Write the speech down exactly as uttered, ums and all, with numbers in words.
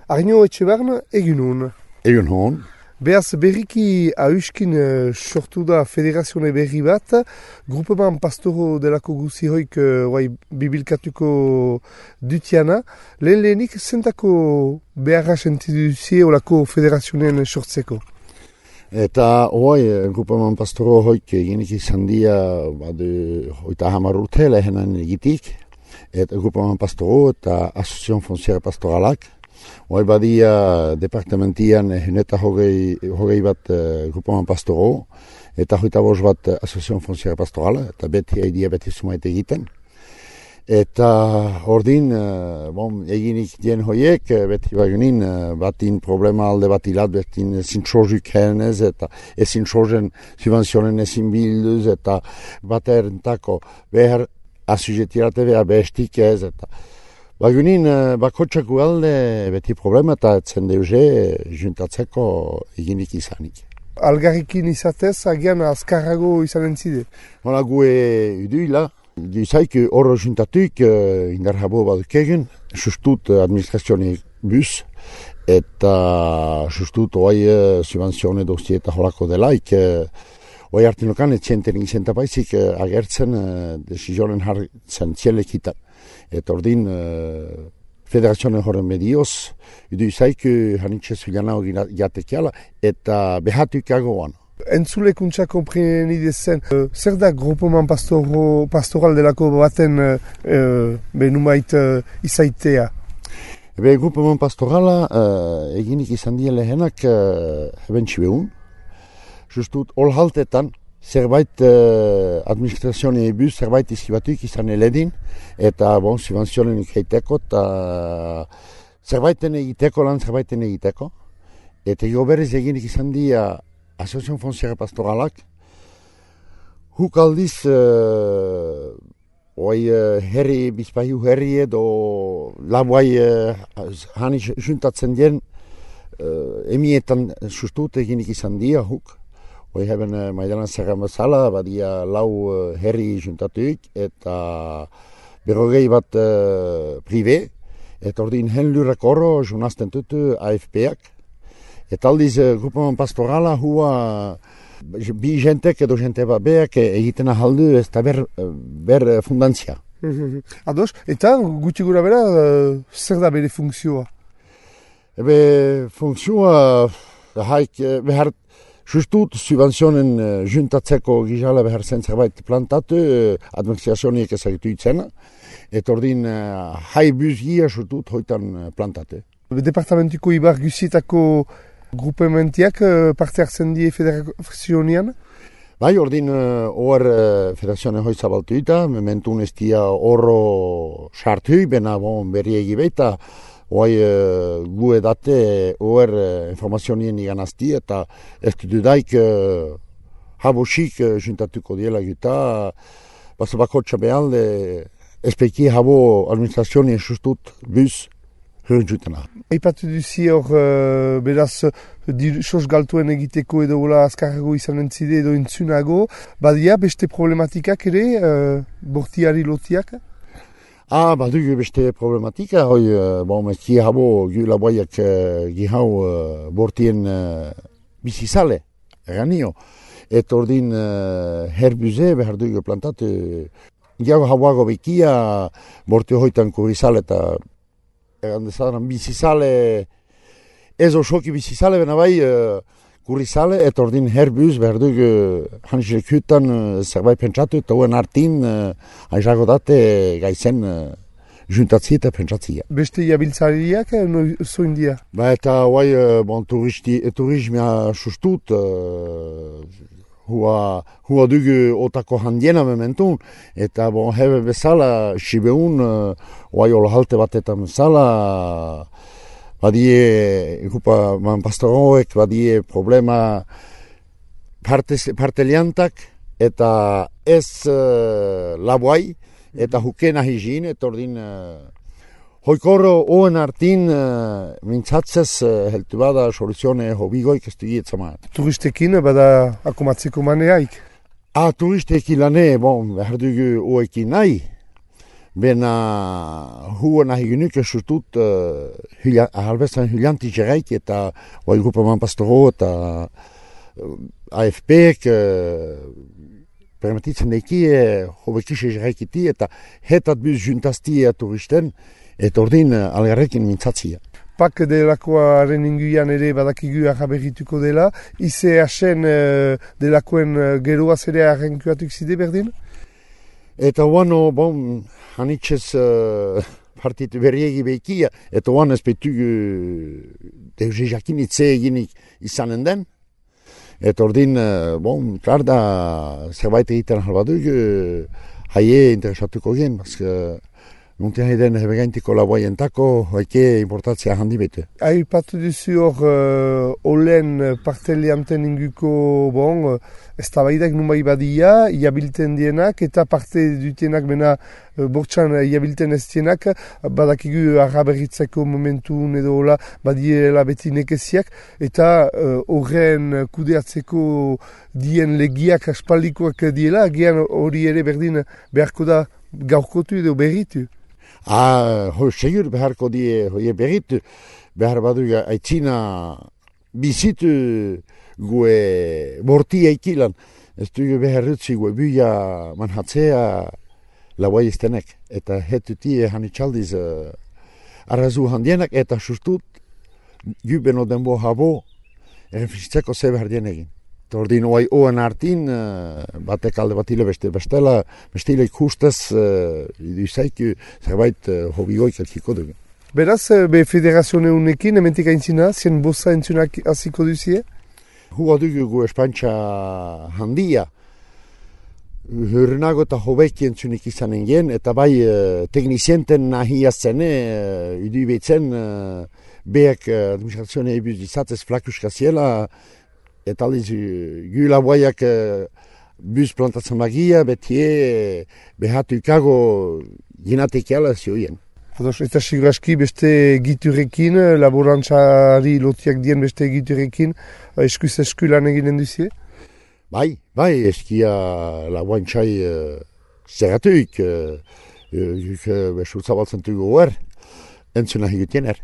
Arno Etxebern, egin hon. Egin hon. Beaz berriki hauskin uh, sortu da federazione berri bat, grupeman pastoro delako guzi hoik uh, bibilkatuko dutiana. Lehen lehenik zentako beharra sentiduzie olako federazionen sortzeko? Eta hoai, grupeman pastoro hoik eginik izan dia badu hoita hamar urte lehenan egitik. Eta grupeman pastoro eta Asociación Fonciera Pastoralak. Hoi badia departamentian huneta hogei, hogei bat uh, grupeman pastoro, eta hoita bost bat uh, Asociación Fonciera Pastorala, eta beti haidia beti sumait egiten. Eta ordin, uh, bon, eginik dien hoiek, beti bagunin, uh, batin problema alde bat ilat, betin ezin txozuk henez, eta ezin txozen subvenzionen ezin bilduz, eta baterentako behar asujetirate behar behestik ez, eta bagunin, bakotxako alde beti problema eta etzen deuze juntatzeko eginik izanik. Algarrikin izatez, agian azkarrago izanen zide? Hora gue uduila, gizaik horro juntatuik indar habo baduk egin, sustut administrazionik bus, eta sustut oai subvenzione dosti eta horako delaik, oai hartinokan etxenten izenta baizik agertzen desizionen hartzen zielekitan. Eta ordin, uh, federazioen horren medioz, idu izaik hanitxez filana hori jatekiala, eta behatuk agoan. Entzulekuntza kompreni dezen, uh, zer da grupeman pastoro, pastoral delako baten uh, uh, benumait uh, izaitea? Ebe, grupeman pastorala uh, eginik izan dien lehenak uh, eben txibeun. Justut, hol haltetan, zerbait uh, administrazioen ebuz, zerbait izkibatuik izan eledin, eta bon, subvenzionen ikheiteko, eta zerbaiten egiteko lan zerbaiten egiteko. Eta jo berriz eginik izan dia Asociación Fonciera Pastoralak, huk aldiz, uh, oi uh, herri, bizpahiu herri edo labuai uh, hani juntatzen dien, uh, emietan sustut eginik izan dia huk. Hoi heben uh, maidanan zerran bezala, badia lau uh, herri juntatuik, eta berrogei bat uh, prive, eta ordin hen lurrak horro junazten tutu A F P-ak. Eta aldiz, uh, grupeman pastorala hua uh, bi jentek edo jente bat beak egiten ahaldu ez da ber, ber fundantzia. Ados, eta gutxi gura bera, uh, zer da bere funkzioa? Ebe, funkzioa haik behar justut subvenzionen uh, juntatzeko gizala behar zen zerbait plantatu, uh, administrazioniek ezagitu itzena, eta ordin uh, hai buzgia justut hoitan uh, plantatu. Departamentiko ibar guzietako grupementiak uh, parte hartzen die federazionian? Bai, ordin uh, hor uh, federazioen hoi zabaltu eta, mementun ez dia horro sartu, bena bon, berriegi beita, Hoi uh, gu edate hor uh, informazionien iganazti eta ez dudaik uh, habosik uh, juntatuko diela eta basa bakotxa behalde espeki habo administrazionien sustut buz hurren jutena. Aipatu duzi hor uh, beraz sos galtuen egiteko edo gola azkarrago izan entzide edo entzunago, badia beste problematikak ere uh, bortiari lotiak? Ah, badugu beste problematika, hoi, bon, ez habo gu laboiak uh, gihau uh, bortien uh, bizizale, eranio. Eta ordin uh, herbuze behar dugu plantatu. Gihau hauago bekia borti hoitan kurizale eta erandezadan bizizale, ez osoki bizizale, bena bai uh, kurizale, eta ordin herbuz behar dugu hanxilek hutan uh, zerbait pentsatu, eta huen hartin uh, aizago date gaizen uh, juntatzi eta pentsatzi. Beste jabiltzariak no, zoin dia? Ba eta hoi uh, bon, turisti, turismia sustut, uh, hua, hua dugu otako handiena mementun, eta bon, hebe bezala, sibeun, uh, hoi olo halte batetan bezala, badie, grupa man pastoroek, badie problema parteliantak eta ez uh, labuai eta hukena higin, eta ordin uh, hoikorro oen artin uh, mintzatzez uh, heltu bada soluzione hobigoik ez dugi etzamat. Turistekin bada akomatzeko maneaik? Ah, turistekin lane, bon, behar dugu oekin nahi. Bena hua nahi genuk esutut uh, halbezan hylianti jeraik eta oi grupaman pastoro eta A F P-ek uh, permititzen eki uh, hobekise jeraikiti eta hetat buz juntaztia turisten eta ordin uh, algarrekin mintzatzia. Pak delakoaren inguian ere badakigu arraberrituko dela, ize hasen uh, delakoen uh, geroaz ere arrenkuatuk zide berdin? Eta oano, bon, hanitzez uh, partitu berriegi behikia, eta oan ez betu uh, deuze jakinitze eginik izanen den. Eta ordin, uh, bon, klar da, zerbait egiten halbaduk, uh, haie interesatuko gen, bazka, nuntean eden hebegaintiko laboaientako, haike importatzea handi bete. Aipatu duzu hor, uh, olen partelianten inguko, bon, ez tabaidak numai badia, iabilten dienak, eta parte dutenak bena uh, bortxan iabilten ez dienak, badakigu arraberritzeko momentun edo hola badiela beti nekeziak, eta horren uh, kudeatzeko dien legiak aspaldikoak diela, gian hori ere berdin beharko da gaurkotu edo berritu. Ah, ho, segur beharko die hoi berritu, behar badu aitzina bizitu gue borti eikilan, ez dugu behar rutsi gue buia manhatzea lauai iztenek, eta hetuti hanitxaldiz uh, arrazu handienak, eta sustut gubeno denbo habo errefizitzeko ze behar dienegin. Ordin oai oan hartin, uh, batek alde batile beste bestela, bestile ikustez, uh, iduzaiku zerbait uh, hobigoik elkiko dugu. Beraz, be federazione unekin, ementik aintzina, zien bosa entzunak hasiko duzie? Hua dugu gu espantxa handia, hurnago eta hobeki entzunik izanen gen, eta bai uh, teknizienten nahi azene, uh, idu behitzen, uh, beak uh, administrazione ebuz izatez flakuska ziela, eta aldiz, gula boiak uh, buz plantatzen bagia, betie behatu ikago ginatekiala zioien. Ados, eta siguraski beste giturekin, laborantzari lotiak dien beste giturekin, eskuz esku lan eginen duzie? Bai, bai, eskia laborantzai uh, zerratuik, uh, uh, uh, besurtzabaltzen dugu er, entzuna higutien er.